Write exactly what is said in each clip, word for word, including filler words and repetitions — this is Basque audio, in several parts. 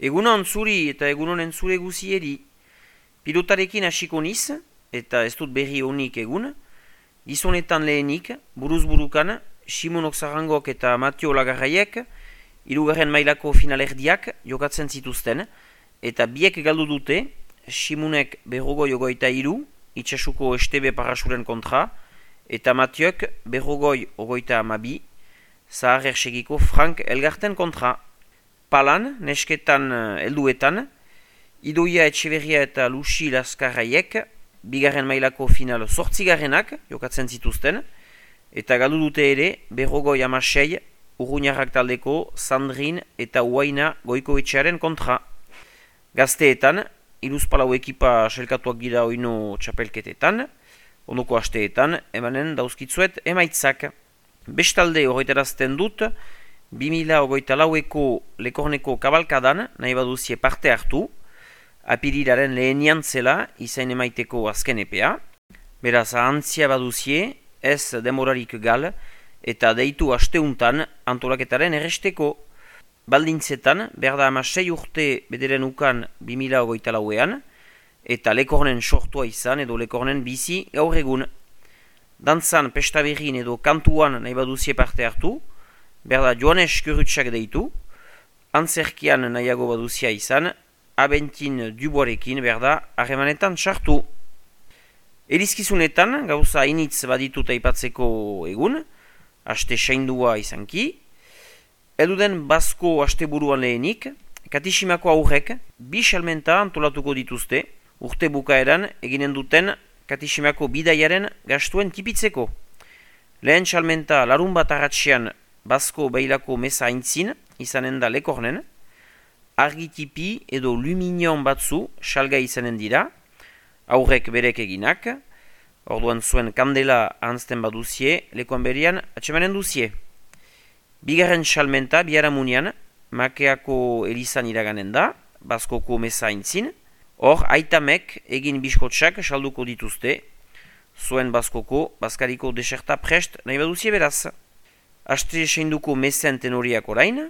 Egunon zuri eta egunonen zure guzieri. Pilotarekin hasiko niz, eta ez dut berri honik egun, gizonetan lehenik, buruz-burukan, Simon Oxarangok eta Matio Lagarraiek, hirugarren mailako finalerdiak jokatzen zituzten, eta biek galdu dute, Simonek berrogoi ogoita hiru, itxasuko Estebe Parasuren kontra, eta Matiok berrogoi ogoita amabi, Zahar Ersegiko Frank Elgarten kontra. Palan, nesketan helduetan, Idoia Etxeberria eta Lucy Laskarraiek, bigarren mailako final zortzigarrenak jokatzen zituzten, eta galdu dute ere berrogoi amasei Urruñarrak taldeko Sandrin eta Uaina Goikoetxearen kontra. Gazteetan, Iluzpalau ekipa selkatuak gira oino txapelketetan, ondoko asteetan, emanen dauzkitzuet emaitzak. Bestalde horretarazten dut, bi mila hogeita laueko Lekorneko kabalkadan nahi baduzie parte hartu, apirilaren lehenian zela izain emaiteko azken epea. Beraz, ahantzia baduzie, ez demorarik gal, eta deitu asteuntan antolaketaren erresteko. Baldintzetan, berda ama sei urte bederen ukan bi mila hogeita lauean, eta Lekornen sortua izan edo Lekornen bizi gaur egun. Dantzan, pestaberrin edo kantuan nahi baduzie parte hartu, berda Joanes Kurutsak deitu, antzerkian nahiago baduzia izan, Abentin Duboarekin berda harremanetan sartu. Erizkizunetan, gauza initz baditut aipatzeko egun, aste saindua izanki, eduden Basko asteburuan lehenik, Katisimako aurrek bi salmenta antolatuko dituzte, urte bukaeran eginen duten Katisimako bidaiaren gastuen tipitzeko. Lehen salmenta larun bat arratxean Basko Beilako meza aintzin, izanen da Lekornen, argitipi edo luminion batzu salga izanen dira, aurrek berek eginak, orduan zuen kandela ahantzten baduzie, lekoan berian atxemanen duzie. Bigarren salmenta biharamunean, Makeako elizan iraganen da, Baskoko meza aintzin, hor aitamek egin biskotsak salduko dituzte, zuen Baskoko, Baskariko deserta prest nahi baduzie beraz. Aste seinduko mezen tenoriak orain,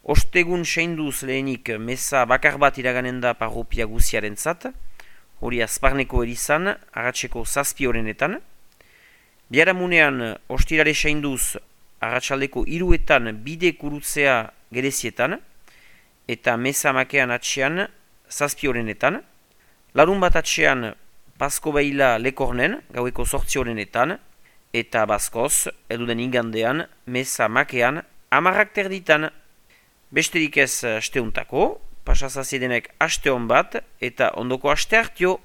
ostegun seinduz lehenik meza bakar bat iraganen da parropia guziaren zat, hori Azparneko elizan, arratseko zazpi horrenetan. Biharamunean ostirare seinduz arratsaldeko hiruetan bide kurutzea gerezietan, eta meza makean atxean zazpi horrenetan. Larun bat atxean Basko Beila Lekornen, gaueko sortzi horrenetan, eta Baskoz, eduden ingandean, meza makean, amarrak terditan. Besterik ez asteuntako, pasazazidenek aste hon bat, eta ondoko aste hartio.